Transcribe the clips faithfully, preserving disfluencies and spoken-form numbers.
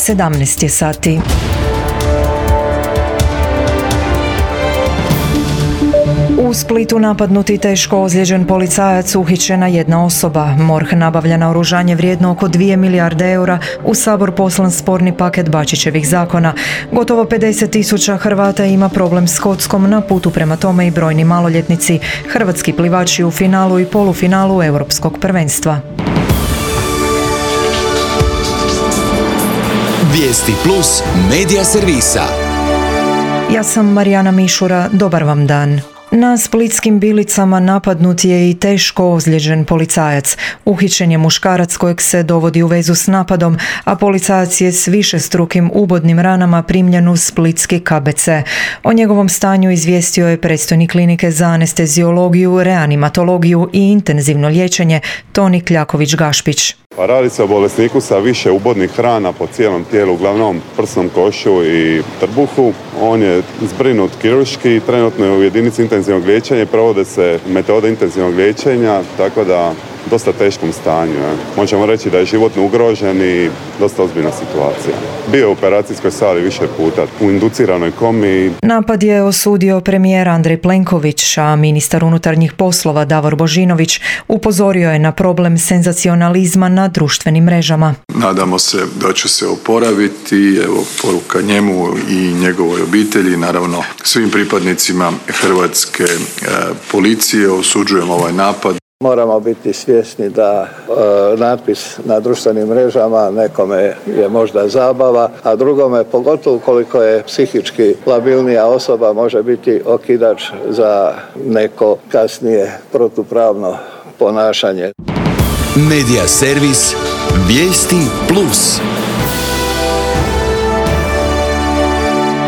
sedamnaest je sati. U Splitu napadnuti teško ozlijeđen policajac, uhićena jedna osoba. MORH nabavlja naoružanje vrijedno oko dvije milijarde eura, u Sabor poslan sporni paket Bačićevih zakona. Gotovo pedeset tisuća Hrvata ima problem s kockom, na putu prema tome i brojni maloljetnici. Hrvatski plivači u finalu i polufinalu Europskog prvenstva. Vijesti plus medija servisa. Ja sam Marijana Mišura, dobar vam dan. Na splitskim Bilicama napadnut je i teško ozlijeđen policajac. Uhićen je muškarac kojeg se dovodi u vezu s napadom, a policajac je s višestrukim ubodnim ranama primljen u splitski K B C. O njegovom stanju izvijestio je predstojnik klinike za anesteziologiju, reanimatologiju i intenzivno liječenje Toni Kljaković-Gašpić. Pa radi se o bolesniku sa više ubodnih rana po cijelom tijelu, uglavnom prsnom košu i trbuhu. On je zbrinut kirurški, trenutno je u jedinici intenzivnog liječenja i provode se metode intenzivnog liječenja, tako da dosta teškom stanju. Je. Možemo reći da je životno ugrožen i dosta ozbiljna situacija. Bio je u operacijskoj sali više puta, u induciranoj komi. Napad je osudio premijer Andrej Plenković, a ministar unutarnjih poslova Davor Božinović upozorio je na problem senzacionalizma na društvenim mrežama. Nadamo se da će se oporaviti, evo poruka njemu i njegovoj obitelji, naravno svim pripadnicima hrvatske e, policije. Osuđujemo ovaj napad. Moramo biti svjesni da e, natpis na društvenim mrežama nekome je možda zabava, a drugome, pogotovo koliko je psihički labilnija osoba, može biti okidač za neko kasnije protupravno ponašanje. Medija servis Vijesti plus.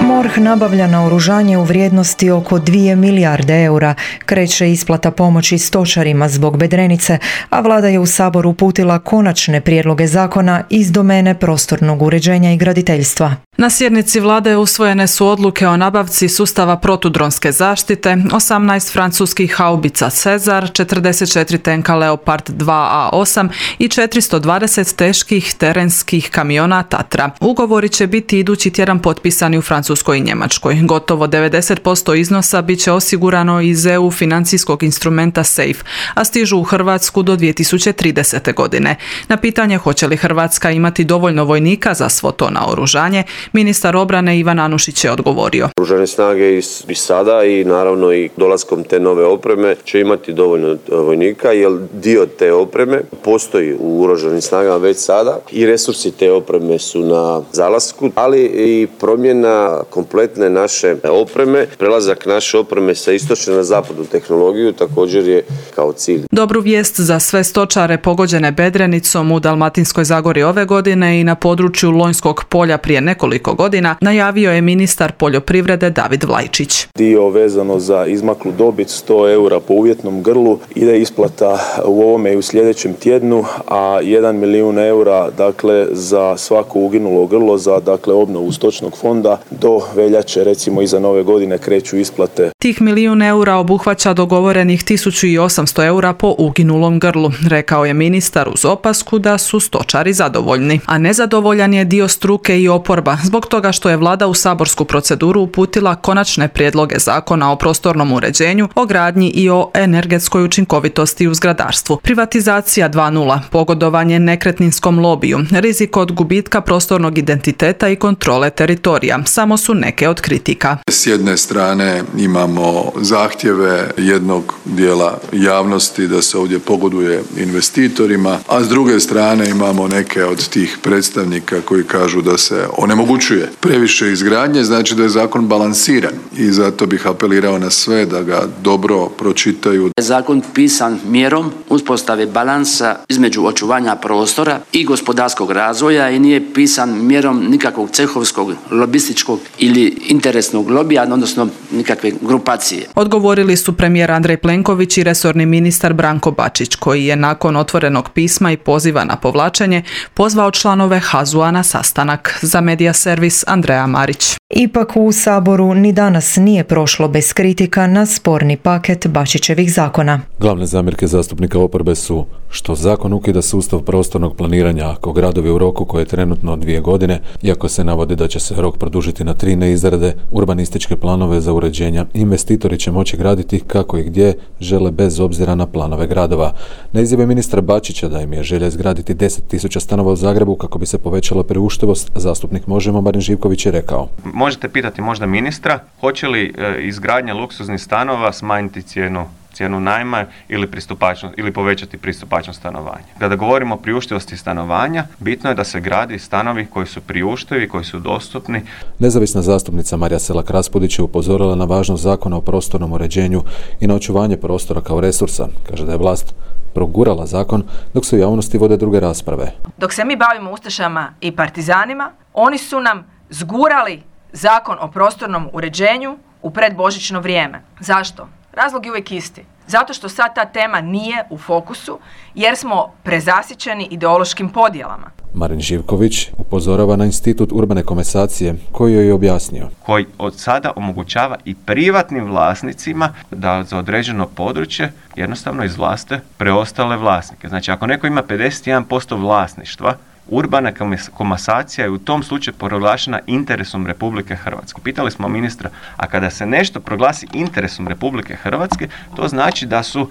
MORH nabavlja naoružanje u vrijednosti oko dvije milijarde eura. Kreće isplata pomoći stočarima zbog bedrenice, a vlada je u Sabor uputila konačne prijedloge zakona iz domene prostornog uređenja i graditeljstva. Na sjednici vlade usvojene su odluke o nabavci sustava protudronske zaštite, osamnaest francuskih haubica Cezar, četrdeset četiri tenka Leopard dva A osam i četiristo dvadeset teških terenskih kamiona Tatra. Ugovori će biti idući tjedan potpisani u Francuskoj i Njemačkoj. Gotovo devedeset posto iznosa bit će osigurano iz E U financijskog instrumenta SAFE, a stižu u Hrvatsku do dvije tisuće tridesete. godine. Na pitanje hoće li Hrvatska imati dovoljno vojnika za svo to naoružanje, ministar obrane Ivan Anušić je odgovorio. Oružane snage i sada i naravno i dolaskom te nove opreme će imati dovoljno vojnika, jer dio te opreme postoji u oružanim snagama već sada i resursi te opreme su na zalasku, ali i promjena kompletne naše opreme, prelazak naše opreme sa istočne na zapadnu tehnologiju također je kao cilj. Dobru vijest za sve stočare pogođene bedrenicom u Dalmatinskoj Zagori ove godine i na području Lonjskog polja prije nekoliko godina najavio je ministar poljoprivrede David Vlajčić. Dio vezano za izmaklu dobit sto eura po uvjetnom grlu ide isplata u ovome i u sljedećem tjednu, a jedan milijun eura dakle za svako uginulo grlo za dakle obnovu stočnog fonda do veljače, recimo iza nove godine kreću isplate. Tih milijun eura obuhvaća dogovorenih tisuću osamsto eura po uginulom grlu, rekao je ministar uz opasku da su stočari zadovoljni. A nezadovoljan je dio struke i oporba zbog toga što je vlada u saborsku proceduru uputila konačne prijedloge zakona o prostornom uređenju, o gradnji i o energetskoj učinkovitosti u zgradarstvu. Privatizacija dva nula, pogodovanje nekretninskom lobiju, rizik od gubitka prostornog identiteta i kontrole teritorija samo su neke od kritika. S jedne strane imamo zahtjeve jednog dijela javnosti da se ovdje pogoduje investitorima, a s druge strane imamo neke od tih predstavnika koji kažu da se onemogućuje previše izgradnje, znači da je zakon balansiran i zato bih apelirao na sve da ga dobro pročitaju. Zakon pisan mjerom uspostave balansa između očuvanja prostora i gospodarskog razvoja i nije pisan mjerom nikakvog cehovskog, lobističkog ili interesnog lobija, odnosno nikakve grupacije. Odgovorili su premijer Andrej Plenković i resorni ministar Branko Bačić, koji je nakon otvorenog pisma i poziva na povlačenje pozvao članove H A Z U-a na sastanak. Za medija servis Andreja Marić. Ipak u Saboru ni danas nije prošlo bez kritika na sporni paket Bačićevih zakona. Glavne zamjerke zastupnika oporbe su što zakon ukida sustav prostornog planiranja ako gradovi u roku koje je trenutno dvije godine, iako se navodi da će se rok produžiti na tri, ne izrade urbanističke planove za uređenja, investitori će moći graditi kako i gdje žele bez obzira na planove gradova. Na izjave ministra Bačića da im je želja izgraditi deset tisuća stanova u Zagrebu kako bi se povećala priuštivost, zastupnik Možemo Marin Živković je rekao: Možete pitati možda ministra, hoće li e, izgradnja luksuznih stanova smanjiti cijenu cijenu najma ili pristupačnost ili povećati pristupačnost stanovanja. Kada govorimo o priuštivosti stanovanja, bitno je da se gradi stanovi koji su priuštivi, koji su dostupni. Nezavisna zastupnica Marija Selak Raspudić je upozorila na važnost zakona o prostornom uređenju i na očuvanje prostora kao resursa. Kaže da je vlast progurala zakon dok se u javnosti vode druge rasprave. Dok se mi bavimo ustašama i partizanima, oni su nam zgurali zakon o prostornom uređenju u predbožićno vrijeme. Zašto? Razlog je uvijek isti. Zato što sad ta tema nije u fokusu jer smo prezasićeni ideološkim podjelama. Marin Živković upozorava na institut urbane komasacije koji joj je objasnio. Koji od sada omogućava i privatnim vlasnicima da za određeno područje jednostavno izvlaste preostale vlasnike. Znači ako neko ima pedeset jedan posto vlasništva, urbana komasacija je u tom slučaju proglašena interesom Republike Hrvatske. Pitali smo ministra, a kada se nešto proglasi interesom Republike Hrvatske, to znači da su,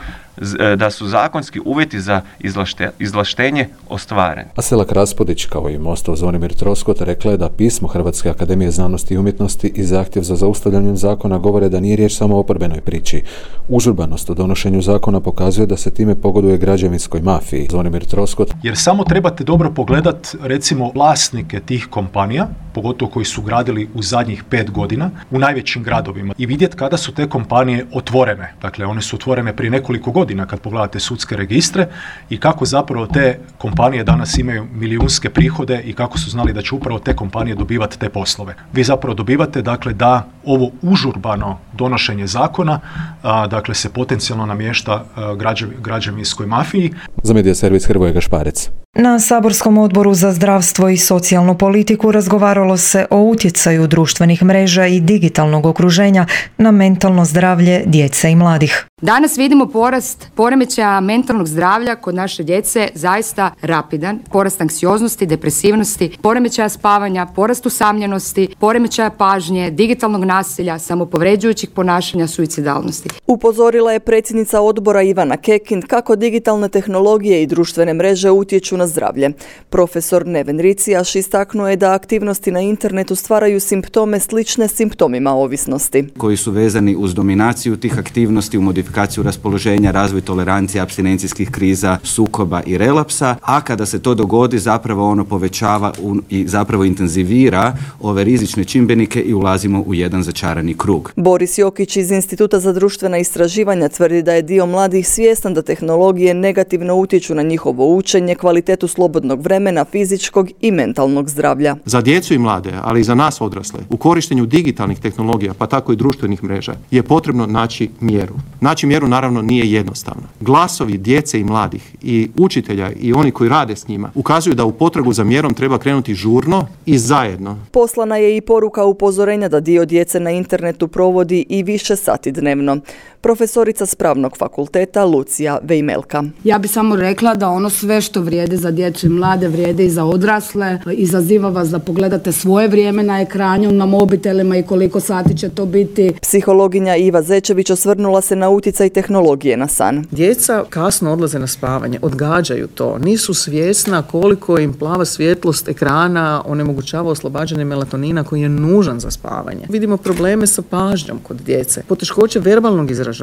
da su zakonski uvjeti za izvlašte, izvlaštenje ostvareni. A Selak Raspudić, kao i Mostov Zvonimir Troskot, rekla je da pismo Hrvatske akademije znanosti i umjetnosti i zahtjev za zaustavljanjem zakona govore da nije riječ samo o oporbenoj priči. Užurbanost u donošenju zakona pokazuje da se time pogoduje građevinskoj mafiji. Zvonimir Troskot. Jer samo trebate dobro pogledati recimo vlasnike tih kompanija, pogotovo koji su gradili u zadnjih pet godina u najvećim gradovima i vidjeti kada su te kompanije otvorene. Dakle, one su otvorene prije nekoliko godina kad pogledate sudske registre i kako zapravo te kompanije danas imaju milijunske prihode i kako su znali da će upravo te kompanije dobivati te poslove. Vi zapravo dobivate dakle da ovo užurbano donošenje zakona a, dakle se potencijalno namješta a, građev, građevinskoj mafiji. Za Medija servis Hrvoje Gašparec. Na saborskom odboru za zdravstvo i socijalnu politiku razgovaralo se o utjecaju društvenih mreža i digitalnog okruženja na mentalno zdravlje djece i mladih. Danas vidimo porast poremećaja mentalnog zdravlja kod naše djece zaista rapidan, porast anksioznosti, depresivnosti, poremećaja spavanja, porast usamljenosti, poremećaja pažnje, digitalnog nasilja, samopovređujućih ponašanja, suicidalnosti. Upozorila je predsjednica odbora Ivana Kekin kako digitalne tehnologije i društvene mreže utječu na zdravlje. Profesor Neven Ricijaš istaknuo je da aktivnosti na internetu stvaraju simptome slične simptomima ovisnosti. Koji su vezani uz dominaciju tih aktivnosti, u modifikaciju raspoloženja, razvoj tolerancije, apstinencijskih kriza, sukoba i relapsa, a kada se to dogodi zapravo ono povećava i zapravo intenzivira ove rizične čimbenike i ulazimo u jedan začarani krug. Boris Jokić iz Instituta za društvena istraživanja tvrdi da je dio mladih svjestan da tehnologije negativno utječu na njihovo učenje, kvalitetu slobodnog vremena, fizičkog i mentalnog zdravlja. Za djecu i mlade, ali i za nas odrasle, u korištenju digitalnih tehnologija, pa tako i društvenih mreža, je potrebno naći mjeru. Naći mjeru naravno nije jednostavno. Glasovi djece i mladih i učitelja i oni koji rade s njima ukazuju da u potragu za mjerom treba krenuti žurno i zajedno. Poslana je i poruka upozorenja da dio djece na internetu provodi i više sati dnevno. Profesorica s Pravnog fakulteta Lucija Vejmelka. Ja bi samo rekla da ono sve što vrijede za djecu i mlade vrijede i za odrasle. Izaziva vas da pogledate svoje vrijeme na ekranju, na mobitelima i koliko sati će to biti. Psihologinja Iva Zečević osvrnula se na utjecaj tehnologije na san. Djeca kasno odlaze na spavanje, odgađaju to, nisu svjesna koliko im plava svjetlost ekrana onemogućava oslobađanje melatonina koji je nužan za spavanje. Vidimo probleme sa pažnjom kod djece, poteškoće verbalnog izražavanja.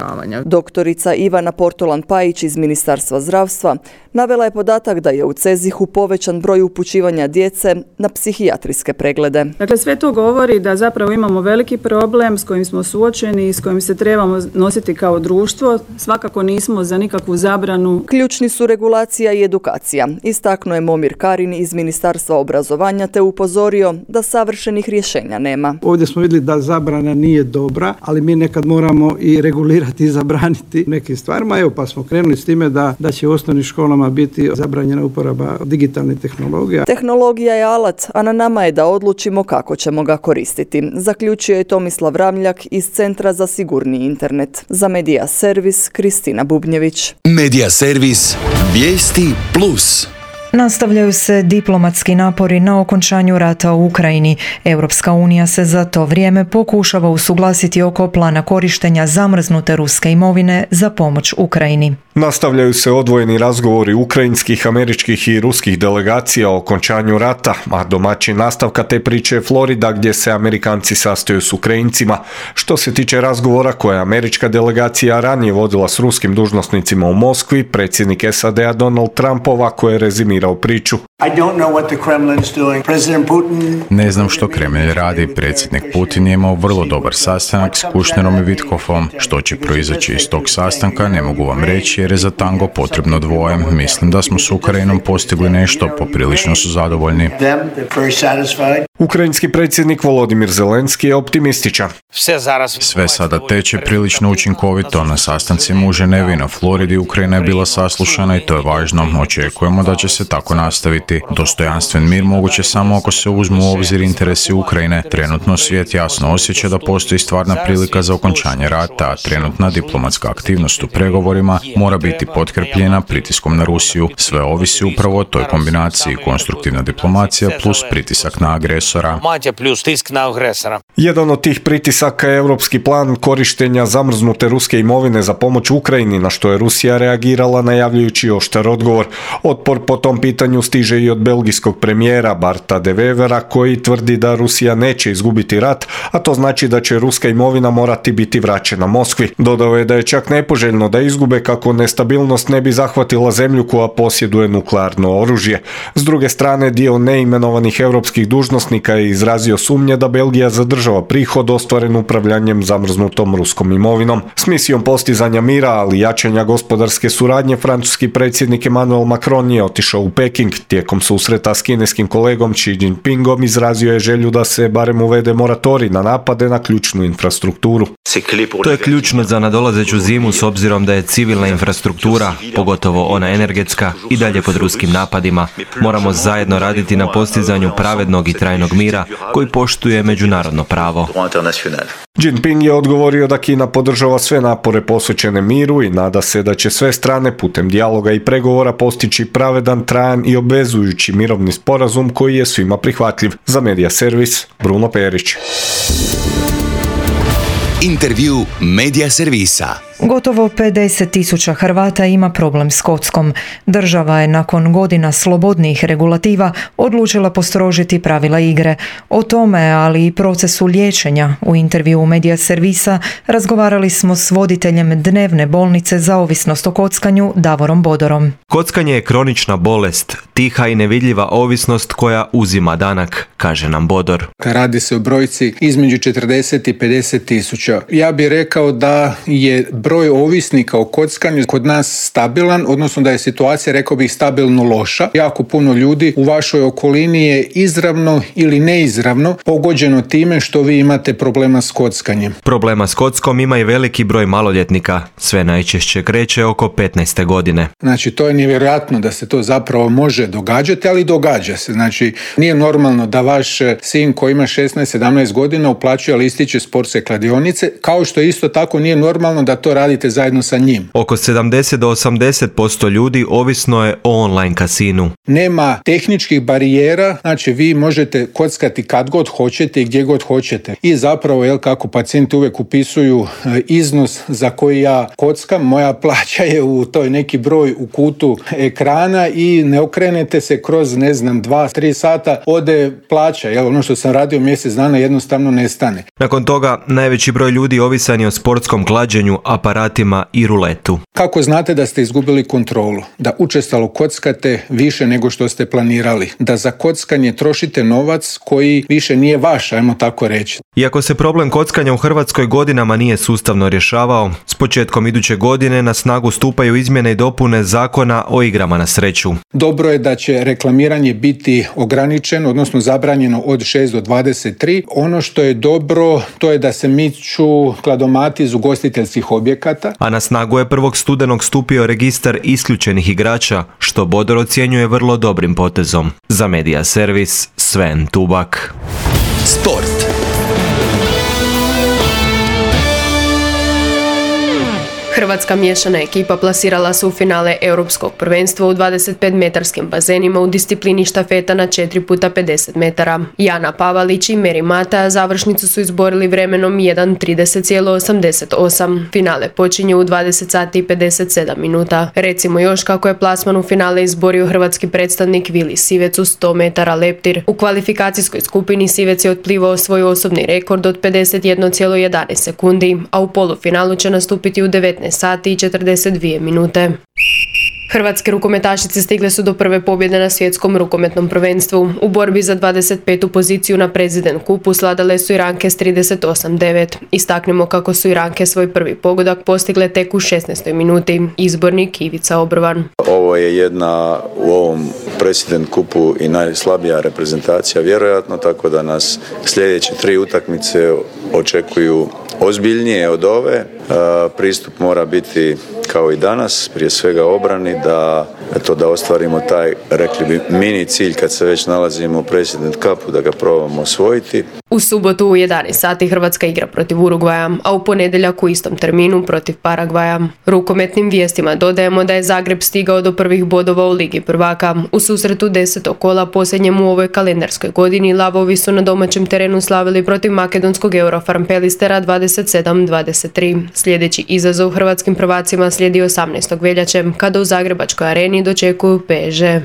Doktorica Ivana Portolan-Pajić iz Ministarstva zdravstva navela je podatak da je u Cezihu povećan broj upućivanja djece na psihijatrijske preglede. Dakle, sve to govori da zapravo imamo veliki problem s kojim smo suočeni i s kojim se trebamo nositi kao društvo. društvo, svakako nismo za nikakvu zabranu. Ključni su regulacija i edukacija. Istaknuo je Momir Karin iz Ministarstva obrazovanja te upozorio da savršenih rješenja nema. Ovdje smo vidjeli da zabrana nije dobra, ali mi nekad moramo i regulirati i zabraniti nekim stvarima. Evo pa smo krenuli s time da, da će u osnovnim školama biti zabranjena uporaba digitalnih tehnologija. Tehnologija je alat, a na nama je da odlučimo kako ćemo ga koristiti. Zaključio je Tomislav Ramljak iz Centra za sigurniji internet. Za Medija Servis, Kristina Bubnjević. Medija Servis, vijesti plus. Nastavljaju se diplomatski napori na okončanju rata u Ukrajini. Europska unija se za to vrijeme pokušava usuglasiti oko plana korištenja zamrznute ruske imovine za pomoć Ukrajini. Nastavljaju se odvojeni razgovori ukrajinskih, američkih i ruskih delegacija o okončanju rata, a domaćin nastavka te priče je Florida gdje se Amerikanci sastaju s Ukrajincima. Što se tiče razgovora koje je američka delegacija ranije vodila s ruskim dužnosnicima u Moskvi, predsjednik S A D-a Donald Trump ovako je rezimirao priču. Ne znam što Kremlj radi. Predsjednik Putin je imao vrlo dobar sastanak s Kušnerom i Vitkofom. Što će proizaći iz tog sastanka ne mogu vam reći jer je za tango potrebno dvoje. Mislim da smo s Ukrajinom postigli nešto, poprilično su zadovoljni. Ukrajinski predsjednik Volodimir Zelenski je optimističan. Sve sada teče prilično učinkovito. Na sastancima u Ženevi na Floridi Ukrajina je bila saslušana i to je važno. Očekujemo da će se tako nastaviti. Dostojanstven mir moguće samo ako se uzmu u obzir interesi Ukrajine. Trenutno svijet jasno osjeća da postoji stvarna prilika za okončanje rata, a trenutna diplomatska aktivnost u pregovorima mora biti potkrepljena pritiskom na Rusiju. Sve ovisi upravo o toj kombinaciji konstruktivna diplomacija plus pritisak na agresora. Jedan od tih pritisaka je europski plan korištenja zamrznute ruske imovine za pomoć Ukrajini, na što je Rusija reagirala najavljujući oštar odgovor. Otpor po tom pitanju stiže i od belgijskog premijera Barta de Wevera koji tvrdi da Rusija neće izgubiti rat, a to znači da će ruska imovina morati biti vraćena Moskvi. Dodao je da je čak nepoželjno da izgube kako nestabilnost ne bi zahvatila zemlju koja posjeduje nuklearno oružje. S druge strane, dio neimenovanih europskih dužnosnika je izrazio sumnje da Belgija zadržava prihod ostvaren upravljanjem zamrznutom ruskom imovinom. S misijom postizanja mira, ali jačanja gospodarske suradnje, francuski predsjednik Emmanuel Macron je otišao u Peking. Tijekom susreta s kineskim kolegom Xi Jinpingom izrazio je želju da se barem uvede moratorij na napade na ključnu infrastrukturu. To je ključno za nadolazeću zimu s obzirom da je civilna infrastruktura, pogotovo ona energetska, i dalje pod ruskim napadima. Moramo zajedno raditi na postizanju pravednog i trajnog mira koji poštuje međunarodno pravo. Jinping je odgovorio da Kina podržava sve napore posvećene miru i nada se da će sve strane putem dijaloga i pregovora postići pravedan, trajan i obvezujući mirovni sporazum koji je svima prihvatljiv. Za Medija Servis, Bruno Perić. Intervju Medija Servisa. Gotovo pedeset tisuća Hrvata ima problem s kockom. Država je nakon godina slobodnijih regulativa odlučila postrožiti pravila igre. O tome, ali i procesu liječenja u intervju Medija Servisa razgovarali smo s voditeljem dnevne bolnice za ovisnost o kockanju Davorom Bodorom. Kockanje je kronična bolest, tiha i nevidljiva ovisnost koja uzima danak, kaže nam Bodor. Radi se o brojci između četrdeset i pedeset tisuća. Ja bih rekao da je broj ovisnika o kockanju kod nas stabilan, odnosno da je situacija, rekao bih, stabilno loša. Jako puno ljudi u vašoj okolini je izravno ili neizravno pogođeno time što vi imate problema s kockanjem. Problema s kockom ima i veliki broj maloljetnika. Sve najčešće kreće oko petnaeste godine. Znači, to je nevjerojatno da se to zapravo može događati, ali događa se. Znači, nije normalno da vaš sin koji ima šesnaest sedamnaest godina uplaćuje listiće sportske kladionice, kao što isto tako nije normalno da to radite zajedno sa njim. Oko sedamdeset do osamdeset posto ljudi ovisno je o online kasinu. Nema tehničkih barijera, znači vi možete kockati kad god hoćete i gdje god hoćete. I zapravo, jel, kako pacijenti uvijek upisuju iznos za koji ja kockam, moja plaća je u toj neki broj u kutu ekrana i ne okrenete se kroz, ne znam, dva, tri sata, ode plaća, jel, ono što sam radio mjesec dana jednostavno nestane. Nakon toga najveći broj broj ljudi ovisan je o sportskom klađenju, aparatima i ruletu. Kako znate da ste izgubili kontrolu? Da učestalo kockate više nego što ste planirali. Da za kockanje trošite novac koji više nije vaš, ajmo tako reći. Iako se problem kockanja u Hrvatskoj godinama nije sustavno rješavao, s početkom iduće godine na snagu stupaju izmjene i dopune Zakona o igrama na sreću. Dobro je da će reklamiranje biti ograničeno, odnosno zabranjeno od šest do dvadeset tri. Ono što je dobro, to je da se miču kladomati iz ugostiteljskih objekata. A na snagu je prvog studenog stupio registar isključenih igrača, što Bodor ocjenjuje vrlo dobrim potezom. Za Media Servis, Sven Tubak. Sport. Hrvatska miješana ekipa plasirala se u finale Europskog prvenstva u dvadeset pet metarskim bazenima u disciplini štafeta na četiri puta pedeset metara. Jana Pavalić i Meri Mata završnicu su izborili vremenom jedan trideset zarez osamdeset osam. Finale počinje u dvadeset sati i pedeset sedam minuta. Recimo još kako je plasman u finale izborio hrvatski predstavnik Vili Sivec u sto metara leptir. U kvalifikacijskoj skupini Sivec je otplivao svoj osobni rekord od pedeset jedan zarez jedanaest sekundi, a u polufinalu će nastupiti u devetnaest sati i četrdeset dvije minute. Hrvatske rukometašice stigle su do prve pobjede na svjetskom rukometnom prvenstvu. U borbi za dvadeset petu poziciju na President Kupu sladale su Iranke s trideset osam devet. Istaknemo kako su Iranke svoj prvi pogodak postigle tek u šesnaestoj minuti. Izbornik Ivica Obrvan. Ovo je jedna u ovom President Kupu i najslabija reprezentacija vjerojatno, tako da nas sljedeće tri utakmice očekuju ozbiljnije od ove. Pristup mora biti kao i danas, prije svega obrani, da, eto, da ostvarimo taj, rekli bi, mini cilj kad se već nalazimo u President Cupu, da ga probamo osvojiti. U subotu u jedanaest sati Hrvatska igra protiv Urugvaja, a u ponedjeljak u istom terminu protiv Paragvaja. Rukometnim vijestima dodajemo da je Zagreb stigao do prvih bodova u Ligi prvaka. U susretu desetog kola posljednjem u ovoj kalendarskoj godini Lavovi su na domaćem terenu slavili protiv makedonskog Eurofarm Pelistera dvadeset sedam dvadeset tri. Sljedeći izazov hrvatskim prvacima slijedi osamnaestog veljače, kada u Zagrebačkoj areni dočekuju P S G.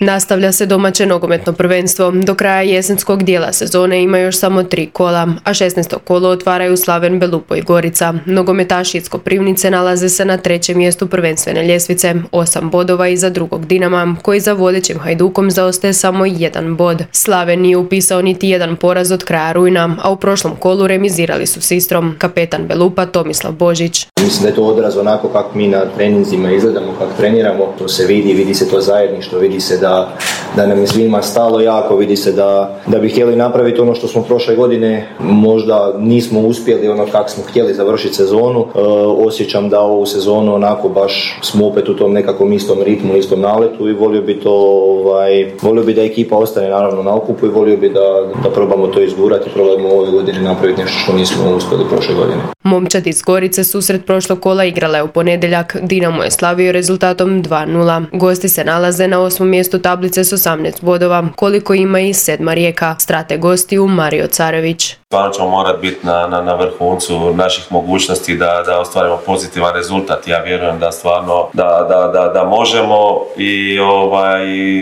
Nastavlja se domaće nogometno prvenstvo. Do kraja jesenskog dijela sezone ima još samo tri kola, a šesnaesto kolo otvaraju Slaven, Belupo i Gorica. Nogometaši iz Koprivnice nalaze se na trećem mjestu prvenstvene ljestvice, osam bodova iza drugog Dinama, koji za vodećim Hajdukom zaostaje samo jedan bod. Slaven nije upisao niti jedan poraz od kraja rujna, a u prošlom kolu remizirali su s Istrom. Kapetan Belupa Tomislav Božić. Mislim da je to odraz onako kako mi na treninzima izgledamo, kako treniramo. To se vidi, vidi se to zajedništvo, vidi se da Da, da nam je svima stalo jako, vidi se da, da bi htjeli napraviti ono što smo prošle godine možda nismo uspjeli ono kako smo htjeli završiti sezonu. E, osjećam da ovu sezonu onako baš smo opet u tom nekakvom istom ritmu, istom naletu i volio bi to, ovaj, volio bi da ekipa ostane naravno na okupu i volio bi da, da probamo to izgurati, probamo ove godine napraviti nešto što nismo uspjeli prošle godine. Momčad iz Gorice susret prošlog kola igrala je u ponedjeljak. Dinamo je slavio rezultatom dva nula. Gosti se nalaze na osmom mjestu tablice s osamnaest bodova, koliko ima i sedma Rijeka. Strate gostiju Mario Carević. Stvarno ćemo morati biti na, na, na vrhuncu naših mogućnosti da, da ostvarimo pozitivan rezultat. Ja vjerujem da stvarno da, da, da, da možemo i ovaj,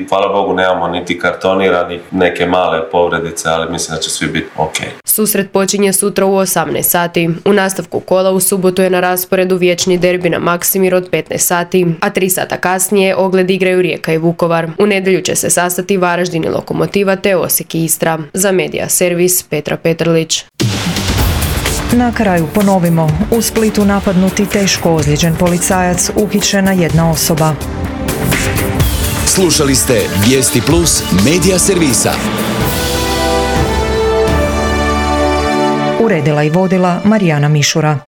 hvala Bogu nemamo niti kartonira, ni neke male povredice, ali mislim da će svi biti ok. Susret počinje sutra u osamnaest sati. U nastavku kola u subotu je na rasporedu vječni derbi na Maksimir od petnaest sati, a tri sata kasnije ogled igraju Rijeka i Vukovar. U nedjelju će se sastati Varaždin i Lokomotiva te Osijek i Istra. Za Media Servis Petra Petrlić. Na kraju ponovimo, u Splitu napadnuti teško ozlijeđen policajac, uhićena jedna osoba. Slušali ste Vijesti Plus Media Servisa. Uredila i vodila Marijana Mišura.